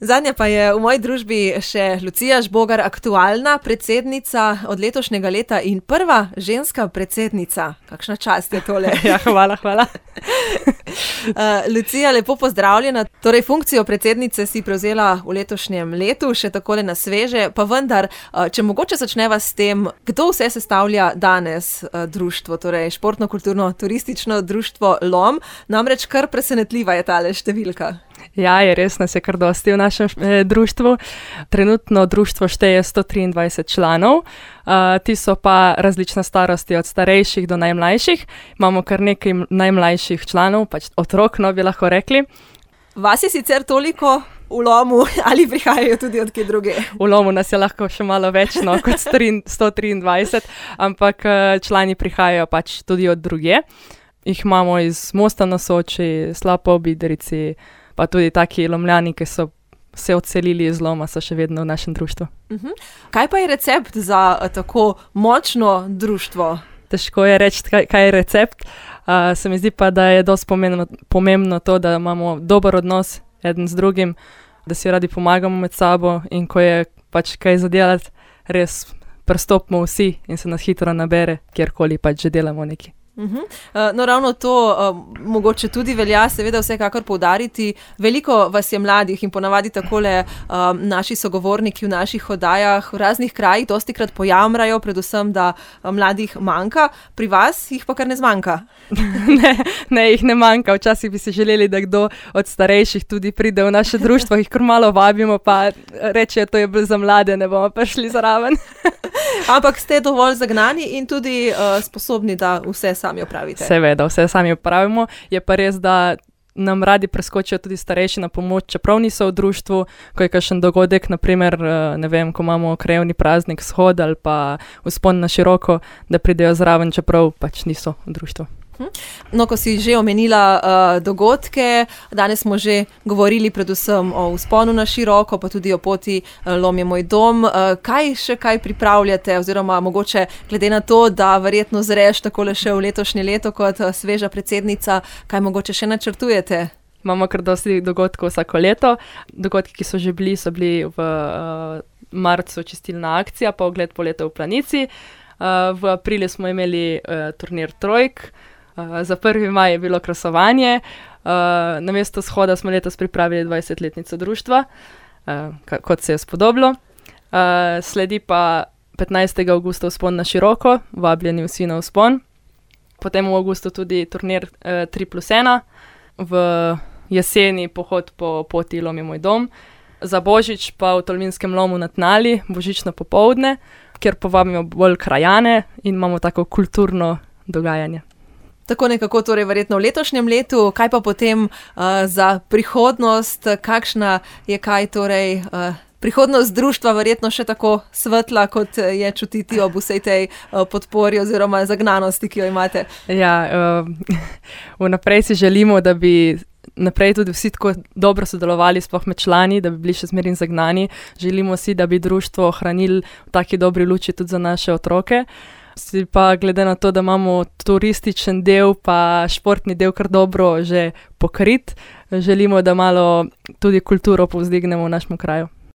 Zadnja pa je v moji družbi še Lucija Žbogar, aktualna predsednica od letošnjega leta in prva ženska predsednica. Kakšna čast je tole. Ja, hvala. Lucija, lepo pozdravljena. Torej, funkcijo predsednice si prevzela v letošnjem letu, še takole na sveže, pa vendar, če mogoče začneva s tem, kdo vse sestavlja danes društvo, torej športno-kulturno-turistično društvo LOM, namreč kar presenetljiva je tale številka. Ja, je res, nas je kar dosti v našem društvu. Trenutno društvo šteje 123 članov, ti so pa različne starosti, od starejših do najmlajših. Imamo kar nekaj najmlajših članov, pač otrok, no bi lahko rekli. Vas je sicer toliko v LOMu ali prihajajo tudi od kje druge? V LOMu nas je lahko še malo več, no, kot 123, ampak člani prihajajo pač tudi od druge. Jih imamo iz Mosta na Soči, Slapo ob Idrijci, pa tudi taki Lomljani, ki so se odselili iz LOMa, so še vedno v našem društvu. Kaj pa je recept za tako močno društvo? Težko je reči, kaj je recept. Se mi zdi pa, da je dosti pomembno to, da imamo dober odnos eden z drugim, da si radi pomagamo med sabo in ko je pač kaj zadelati, res pristopimo vsi in se nas hitro nabere, kjerkoli pač že delamo nekaj. No, ravno to mogoče tudi velja seveda vsekakor poudariti. Veliko vas je mladih in ponavadi takole naši sogovorniki v naših oddajah v raznih krajih dostikrat pojamrajo, predvsem, da mladih manjka. Pri vas jih pa kar ne zmanjka. Ne, jih ne manjka. Včasih bi si želeli, da kdo od starejših tudi pride v naše društvo, jih kar malo vabimo, pa rečejo, to je bilo za mlade, ne bomo prišli zraven. Ampak ste dovolj zagnani in tudi sposobni, da vse sami opravite. Seveda, vse sami opravimo. Je pa res, da nam radi preskočijo tudi starejši na pomoč, čeprav niso v društvu, ko je kakšen dogodek, naprimer, ne vem, ko imamo krajevni praznik, shod ali pa vzpon na široko, da pridejo zraven, čeprav pač niso v društvu. No, ko si že omenila dogodke, danes smo že govorili predvsem o vzponu na široko, pa tudi o poti LOM je moj dom. Kaj pripravljate, oziroma mogoče glede na to, da verjetno zreš takole še v letošnje leto kot sveža predsednica, kaj mogoče še načrtujete? Imamo kar dosti dogodkov vsako leto. Dogodki, ki so bili v marcu čistilna akcija, pa ogled poleta v Planici. V aprilu smo imeli turnir trojk. Za 1. maj je bilo krasovanje, namesto shoda smo letos pripravili 20-letnico društva, kot se je spodobilo. Sledi pa 15. avgusta vzpon na široko, vabljeni vsi na vzpon. Potem v avgustu tudi turnir 3+1, v jeseni pohod po poti LOM je moj dom. Za Božič pa v Tolminskem LOMu na Tnali, božično popoldne, kjer povabimo bolj krajane in imamo tako kulturno dogajanje. Tako nekako torej verjetno v letošnjem letu, kaj pa potem za prihodnost, kakšna je kaj torej prihodnost društva verjetno še tako svetla, kot je čutiti ob vsej tej podpori oziroma zagnanosti, ki jo imate? Ja, vnaprej si želimo, da bi naprej tudi vsi tako dobro sodelovali, sploh med člani, da bi bili še zmeraj zagnani. Želimo si, da bi društvo ohranili v taki dobri luči tudi za naše otroke. Si pa glede na to, da imamo turističen del pa športni del kar dobro že pokrit, želimo, da malo tudi kulturo povzdignemo v našem kraju.